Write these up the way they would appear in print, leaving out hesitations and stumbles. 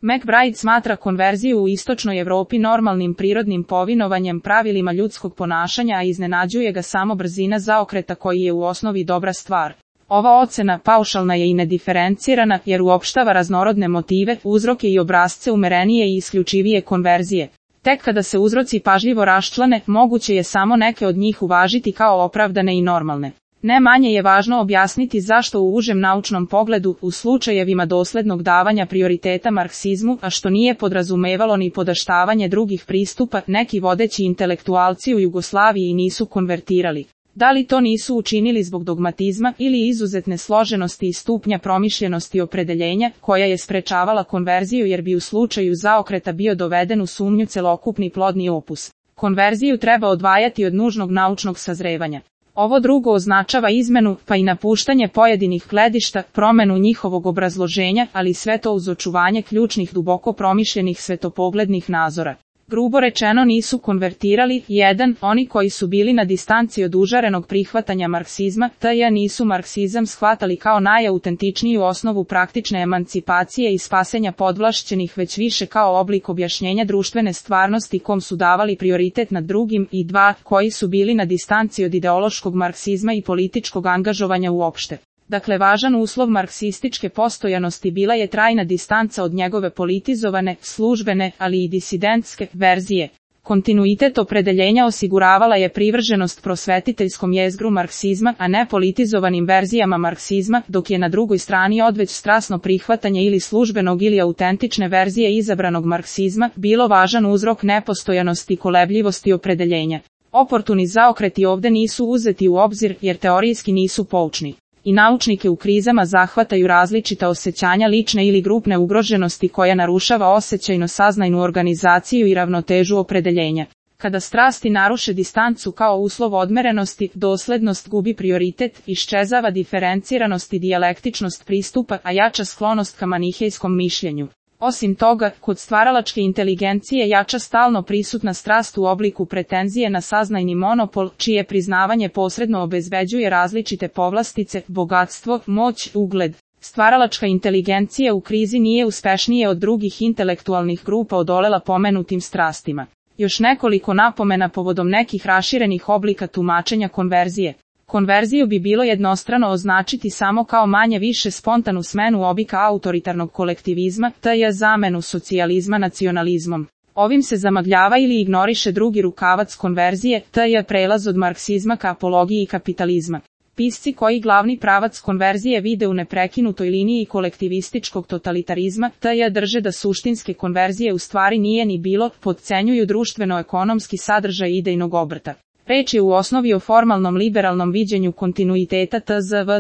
McBride smatra konverziju u istočnoj Evropi normalnim prirodnim povinovanjem pravilima ljudskog ponašanja, a iznenađuje ga samo brzina zaokreta koji je u osnovi dobra stvar. Ova ocena paušalna je i nediferencirana jer uopštava raznorodne motive, uzroke i obrasce umerenije i isključivije konverzije. Tek kada se uzroci pažljivo raščlane, moguće je samo neke od njih uvažiti kao opravdane i normalne. Ne manje je važno objasniti zašto u užem naučnom pogledu, u slučajevima doslednog davanja prioriteta marksizmu, a što nije podrazumevalo ni podaštavanje drugih pristupa, neki vodeći intelektualci u Jugoslaviji nisu konvertirali. Da li to nisu učinili zbog dogmatizma ili izuzetne složenosti i stupnja promišljenosti opredeljenja, koja je sprečavala konverziju jer bi u slučaju zaokreta bio doveden u sumnju celokupni plodni opus. Konverziju treba odvajati od nužnog naučnog sazrevanja. Ovo drugo označava izmenu, pa i napuštanje pojedinih gledišta, promenu njihovog obrazloženja, ali sve to uz očuvanje ključnih duboko promišljenih svetopoglednih nazora. Grubo rečeno nisu konvertirali, 1. Oni koji su bili na distanci od užarenog prihvatanja marksizma, nisu marksizam shvatali kao najautentičniju osnovu praktične emancipacije i spasenja podvlašćenih, već više kao oblik objašnjenja društvene stvarnosti kom su davali prioritet nad drugim, i 2. Koji su bili na distanci od ideološkog marksizma i političkog angažovanja uopšte. Dakle, važan uslov marksističke postojanosti bila je trajna distanca od njegove politizovane, službene, ali i disidentske verzije. Kontinuitet opredeljenja osiguravala je privrženost prosvetiteljskom jezgru marksizma, a ne politizovanim verzijama marksizma, dok je na drugoj strani odveć strasno prihvatanje ili službenog ili autentične verzije izabranog marksizma bilo važan uzrok nepostojanosti i kolebljivosti opredeljenja. Oportuni zaokreti ovde nisu uzeti u obzir jer teorijski nisu poučni. I naučnike u krizama zahvataju različita osjećanja lične ili grupne ugroženosti koja narušava osjećajno-saznajnu organizaciju i ravnotežu opredeljenja. Kada strasti naruše distancu kao uslov odmerenosti, doslednost gubi prioritet, iščezava diferenciranost i dijalektičnost pristupa, a jača sklonost ka manihejskom mišljenju. Osim toga, kod stvaralačke inteligencije jača stalno prisutna strast u obliku pretenzije na saznajni monopol, čije priznavanje posredno obezbeđuje različite povlastice, bogatstvo, moć, ugled. Stvaralačka inteligencija u krizi nije uspešnije od drugih intelektualnih grupa odolela pomenutim strastima. Još nekoliko napomena povodom nekih raširenih oblika tumačenja konverzije. Konverziju bi bilo jednostrano označiti samo kao manje više spontanu smenu oblika autoritarnog kolektivizma, zamenu socijalizma nacionalizmom. Ovim se zamagljava ili ignoriše drugi rukavac konverzije, prelaz od marksizma ka apologiji kapitalizma. Pisci koji glavni pravac konverzije vide u neprekinutoj liniji kolektivističkog totalitarizma, drže da suštinske konverzije u stvari nije ni bilo, podcenjuju društveno-ekonomski sadržaj idejnog obrta. Reč je u osnovi o formalnom liberalnom viđenju kontinuiteta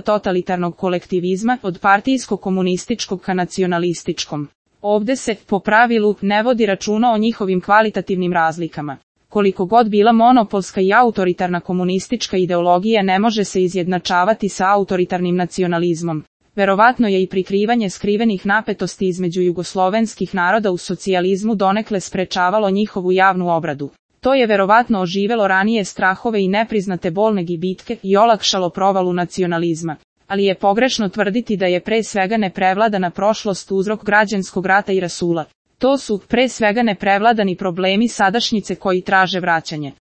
totalitarnog kolektivizma od partijsko-komunističkog ka nacionalističkom. Ovde se, po pravilu, ne vodi računa o njihovim kvalitativnim razlikama. Koliko god bila monopolska i autoritarna komunistička ideologija ne može se izjednačavati sa autoritarnim nacionalizmom. Verovatno je i prikrivanje skrivenih napetosti između jugoslovenskih naroda u socijalizmu donekle sprečavalo njihovu javnu obradu. To je verovatno oživelo ranije strahove i nepriznate bolne gibitke i olakšalo provalu nacionalizma. Ali je pogrešno tvrditi da je pre svega neprevladana prošlost uzrok građanskog rata i rasula. To su, pre svega, neprevladani problemi sadašnjice koji traže vraćanje.